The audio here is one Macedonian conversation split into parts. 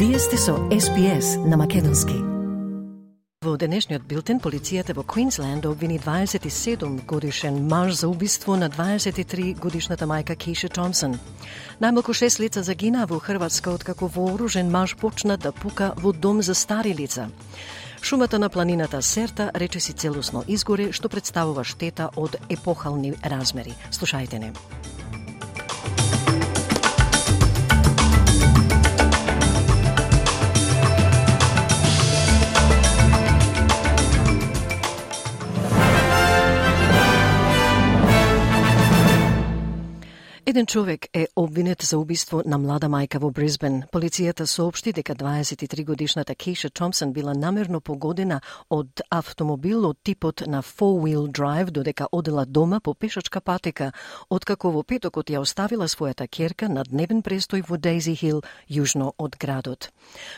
Вие сте со SBS на македонски. Во денешниот билтен, полицијата во Квинсленд обвини 27 годишен маж за убиство на 23 годишната мајка Keisha Thompson. Најмалку 6 лица загинаа во Хрватска откако вооружен маж почна да пука во дом за стари лица. Шумата на планината Серта речиси целосно изгоре, што представува штета од епохални размери. Слушајте не. Еден човек е обвинет за убиство на млада мајка во Брисбен. Полицијата соопшти дека 23 годишната Keisha Thompson била намерно погодена од автомобил од типот на four-wheel drive додека одела дома по пешачка патека, откако во петокот ја оставила својата ќерка на дневен престој во Дейзи Хил, јужно од градот.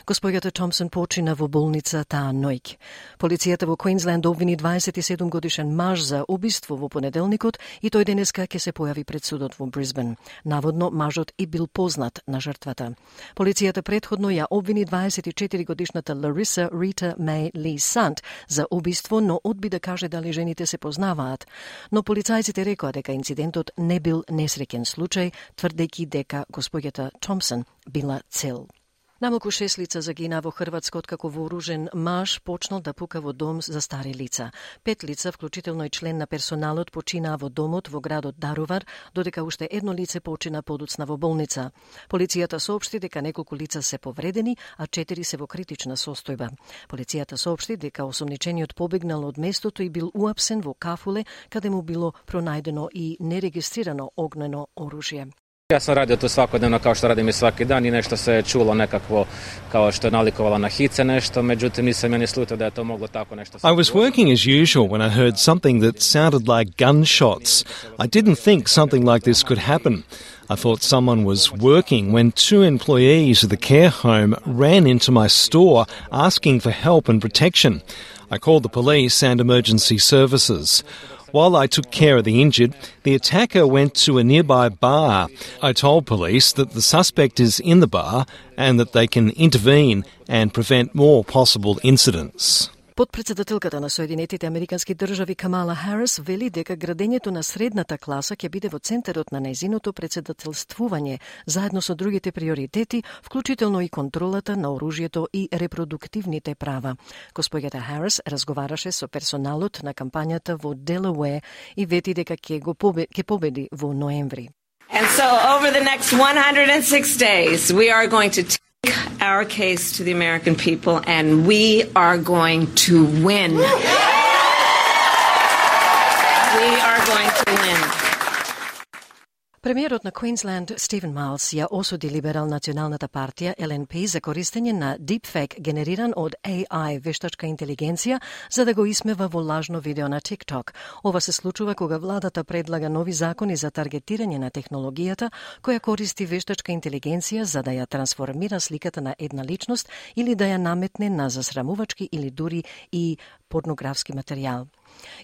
Госпоѓата Thompson почина во болница таа ноќ. Полицијата во Квинсленд обвини 27 годишен маж за убиство во понеделникот и тој денеска ќе се појави пред судот во Брисбен. Наводно, мажот и бил познат на жртвата. Полицијата претходно ја обвини 24 годишната Larissa Rita May Lee Sant за убиство, но одби да каже дали жените се познаваат. Но полицајците рекоа дека инцидентот не бил несреќен случај, тврдејќи дека госпоѓата Thompson била цел. Намалку 6 лица загинаа во Хрватска откако вооружен маж почнал да пука во дом за стари лица. 5 лица, вклучително и член на персоналот, починаа во домот во градот Дарувар, додека уште едно лице почина подоцна во болница. Полицијата соопшти дека неколку лица се повредени, а 4 се во критична состојба. Полицијата соопшти дека осомничениот побегнал од местото и бил уапсен во кафуле, каде му било пронајдено и нерегистрирано огнено оружје. Ja sam radio to svakodnevno kao što radim i svaki dan i nešto se je čulo nekakvo kao što je nalikovalo na hice nešto, međutim nisam ja ni slutio da je to moglo tako nešto. I was working as usual when I heard something that sounded like gunshots. I didn't think something like this could happen. I thought someone was working when 2 employees of the care home ran into my store asking for help and protection. I called the police and emergency services. While I took care of the injured, the attacker went to a nearby bar. I told police that the suspect is in the bar and that they can intervene and prevent more possible incidents. Подпредседателката на Соединетите Американски држави Камала Харис вели дека градењето на средната класа ќе биде во центарот на нејзиното председателствување, заедно со другите приоритети, вклучително и контролата на оружјето и репродуктивните права. Госпоѓата Харис разговараше со персоналот на кампањата во Делауер и вети дека ќе победи во ноември. And so over the next 106 days, we are going to take our case to the American people, and we are going to win. We are going to win. Премиерот на Квинсленд Стивен Майлс ја осуди либерал националната партија LNP за користење на deepfake генериран од AI вештачка интелигенција за да го исмева во лажно видео на TikTok. Ова се случува кога владата предлага нови закони за таргетирање на технологијата која користи вештачка интелигенција за да ја трансформира сликата на една личност или да ја наметне на засрамувачки или дури и порнографски материјал.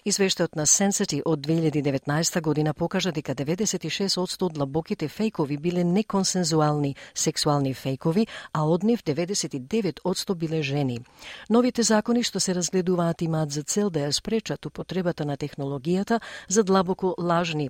Извештајот на Sensity од 2019 година покажа дека 96% од длабоките фејкови биле неконсензуални сексуални фејкови, а од нив 99% биле жени. Новите закони што се разгледуваат имаат за цел да ја спречат употребата на технологијата за длабоко лажни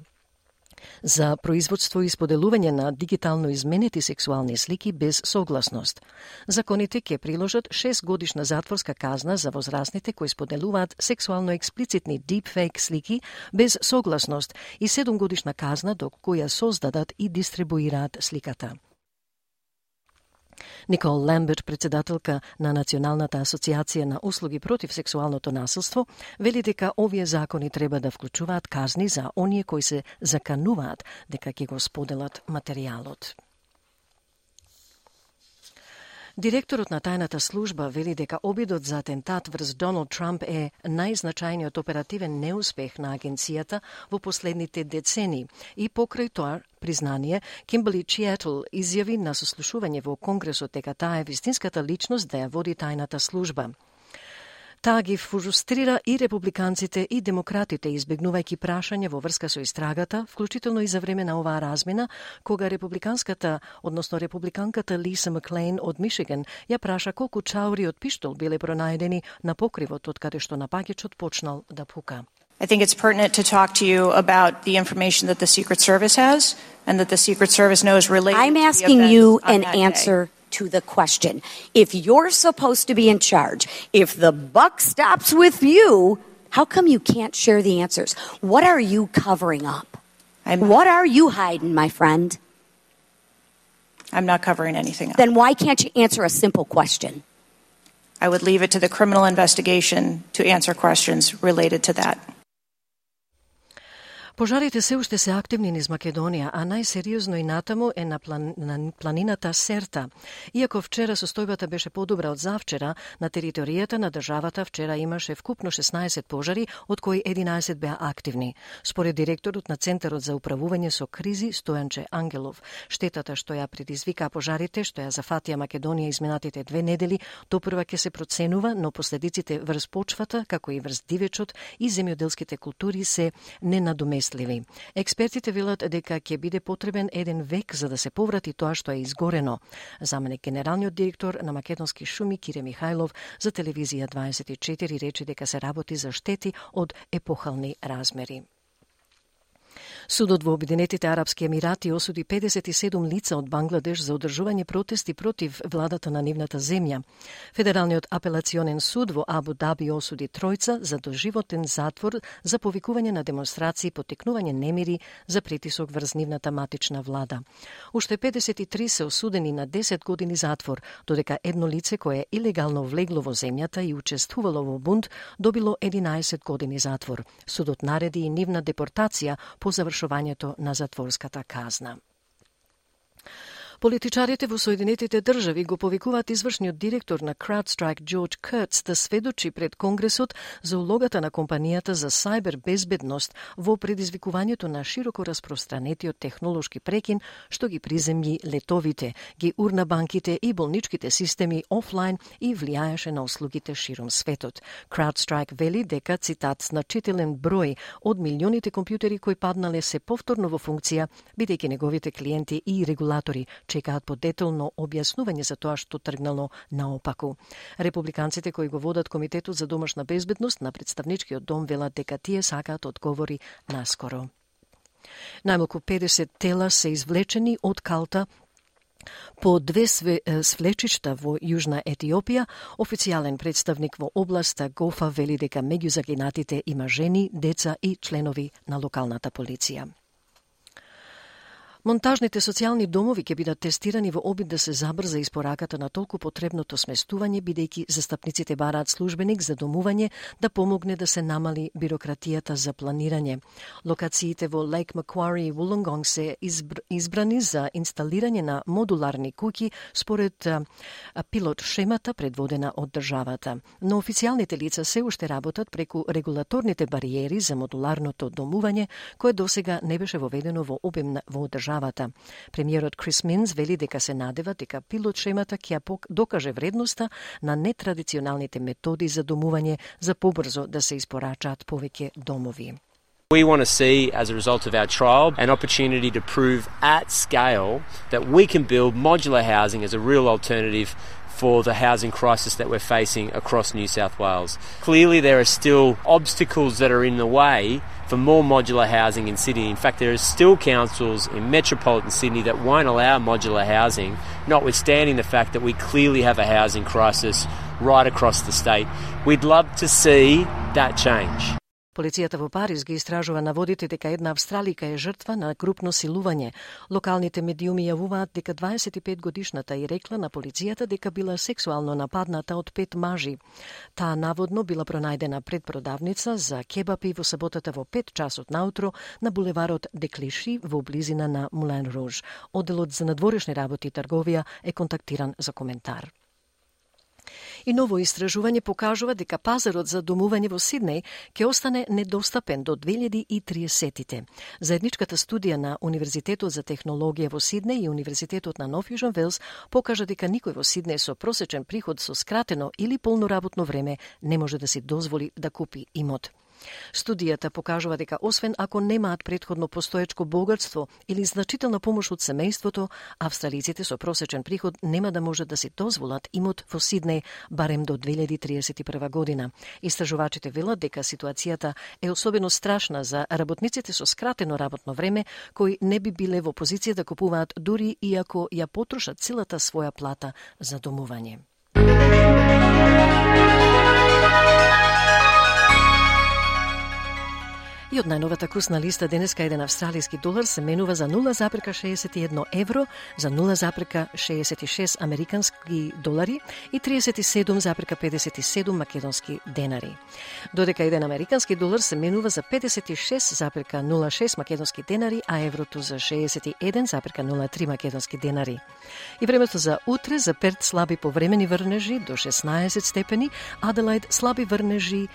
за производство и споделување на дигитално изменети сексуални слики без согласност. Законите ќе приложат 6 годишна затворска казна за возрастните кои споделуваат сексуално експлицитни deepfake слики без согласност и 7 годишна казна доколку ја создадат и дистрибуираат сликата. Никол Ламберт, председателка на Националната асоциација на услуги против сексуалното насилство, вели дека овие закони треба да вклучуваат казни за оние кои се закануваат дека ќе го споделат материјалот. Директорот на тајната служба вели дека обидот за атентат врз Доналд Трамп е најзначајниот оперативен неуспех на агенцијата во последните децени и покрај тоа признание, Кимберли Чиетл изјави на сослушување во Конгресот дека таа е вистинската личност да ја води тајната служба. Таа ги фрустрира и републиканците и демократите, избегнувајќи прашање во врска со истрагата, вклучително и за време на оваа размена, кога републиканката Лиса Маклейн од Мишиган ја праша колку чаури од пиштол биле пронајдени на покривот од каде што напаѓачот почнал да пука. I think it's pertinent to talk to you about the information that the Secret Service has and that the Secret Service knows related I'm to the asking events you on an that answer day. to the question. If you're supposed to be in charge, if the buck stops with you, how come you can't share the answers? What are you covering up? What are you hiding, my friend? I'm not covering anything up. Then why can't you answer a simple question? I would leave it to the criminal investigation to answer questions related to that. Пожарите се уште се активни низ Македонија, а најсериозно и натаму е на планината Серта. Иако вчера состојбата беше подобра од завчера, на територијата на државата вчера имаше вкупно 16 пожари, од кои 11 беа активни. Според директорот на Центарот за управување со кризи Стојанче Ангелов, штетата што ја предизвикаа пожарите, што ја зафатија Македонија изминатите 2 недели, допрва ќе се проценува, но последиците врз почвата, како и врз дивечот и земјоделските култури се ненадоместливи. Експертите велат дека ќе биде потребен 1 век за да се поврати тоа што е изгорено. Заменик генералниот директор на Македонски шуми Кире Михајлов за телевизија 24 рече дека се работи за штети од епохални размери. Судот во Обединетите Арапски Емирати осуди 57 лица од Бангладеш за одржување протести против владата на нивната земја. Федералниот апелационен суд во Абу Даби осуди тројца за доживотен затвор за повикување на демонстрации и поттикнување немири за притисок врз нивната матична влада. Уште 53 се осудени на 10 години затвор, додека едно лице кое илегално влегло во земјата и учествувало во бунт добило 11 години затвор. Судот нареди и нивна депортација по завршувањето на затворската казна. Политичарите во Соединетите држави го повикуваат извршниот директор на CrowdStrike Джордж Куртс да сведочи пред Конгресот за улогата на компанијата за сајбер безбедност во предизвикувањето на широко распространетиот технолошки прекин што ги приземји летовите, ги урна банките и болничките системи офлайн и влијаеше на услугите широм светот. CrowdStrike вели дека, цитат, значителен број од милионите компјутери кои паднале се повторно во функција, бидејќи неговите клиенти и регулатори чекаат по детално објаснување за тоа што тргнало наопаку. Републиканците кои го водат Комитетот за домашна безбедност на представничкиот дом велат дека тие сакаат одговори наскоро. Најмалку 50 тела се извлечени од калта по 2 свлечишта во Јужна Етиопија. Официјален представник во областа Гофа вели дека меѓу загинатите има жени, деца и членови на локалната полиција. Монтажните социјални домови ќе бидат тестирани во обид да се забрза испораката на толку потребното сместување, бидејќи застапниците бараат службеник за домување да помогне да се намали бирократијата за планирање. Локациите во Лейк Маквари и Вулонгонг се избрани за инсталирање на модуларни куќи според пилот шемата предводена од државата. Но официјалните лица се уште работат преку регулаторните бариери за модуларното домување, кое досега не беше воведено во обем во државата. Премиерот Крис Минс вели дека се надева дека пилот шемата ќе докаже вредноста на нетрадиционалните методи за домување за побрзо да се испорачаат повеќе домови. We want to see, as a result of our trial, an opportunity to prove at scale that we can build modular housing as a real alternative for the housing crisis that we're facing across New South Wales. Clearly there are still obstacles that are in the way for more modular housing in Sydney. In fact, there are still councils in metropolitan Sydney that won't allow modular housing, notwithstanding the fact that we clearly have a housing crisis right across the state. We'd love to see that change. Полицијата во Париз ги истражува наводите дека една австралика е жртва на групно силување. Локалните медиуми јавуваат дека 25-годишната и рекла на полицијата дека била сексуално нападната од 5 мажи. Таа наводно била пронајдена пред продавница за кебапи во саботата во 5 часот наутро на булеварот Деклиши во близина на Мулен Руж. Одделот за надворешни работи и трговија е контактиран за коментар. И ново истражување покажува дека пазарот за домување во Сиднеј ќе остане недостапен до 2030-тите. Заедничката студија на Универзитетот за технологија во Сиднеј и Универзитетот на Нов Јужен Велс покажа дека никој во Сиднеј со просечен приход со скратено или полно работно време не може да си дозволи да купи имот. Студијата покажува дека освен ако немаат претходно постоечко богатство или значителна помош од семејството, австралиците со просечен приход нема да можат да си дозволат имот во Сиднеј барем до 2031 година. Истражувачите велат дека ситуацијата е особено страшна за работниците со скратено работно време, кои не би биле во позиција да купуваат дури и ако ја потрошат целата своја плата за домување. И од најновата курсна листа денеска еден австралиски долар се менува за 0,61 евро, за 0,66 американски долари и 37,57 македонски денари. Додека еден американски долар се менува за 56,06 македонски денари, а еврото за 61,03 македонски денари. И времето за утре, за Перт слаби повремени врнежи до 16 степени, Аделаид слаби врнежи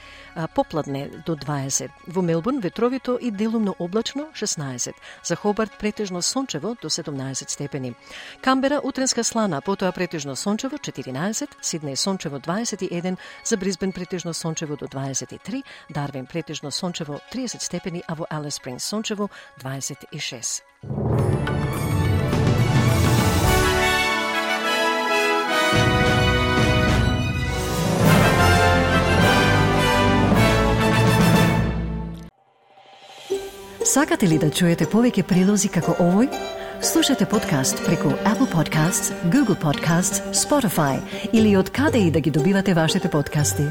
попладне до 20. Во Мелбурн ветровито и делумно облачно 16. За Хобарт претежно сончево до 17 степени. Камбера утренска слана, потоа претежно сончево 14, Сиднеј сончево 21, за Брисбен претежно сончево до 23, Дарвин претежно сончево 30 степени, а во Алис Спрингс сончево 26. Сакате ли да чуете повеќе прилози како овој? Слушате подкаст преку Apple Podcasts, Google Podcasts, Spotify или од каде и да ги добивате вашите подкасти.